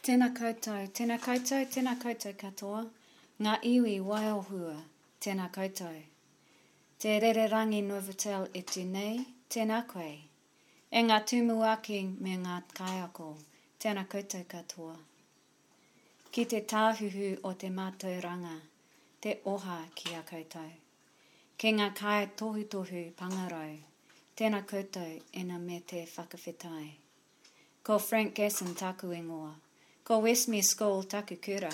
Tena koutou, tena koutou, tena koutou katoa, nga iwi waiohua, tena koutou. Te rererangi Novotel e tu nei, tena koe. E nga tumuaki me nga kaiako, tena koutou katoa. Ki te tāhuhu o te mātauranga, te oha ki a koutou. Ki nga kaitohutohu pangarau, tena koutou ina me te whakawhetai. Ko Frank Gasson taku ingoa. Ko Westmere School taku kura.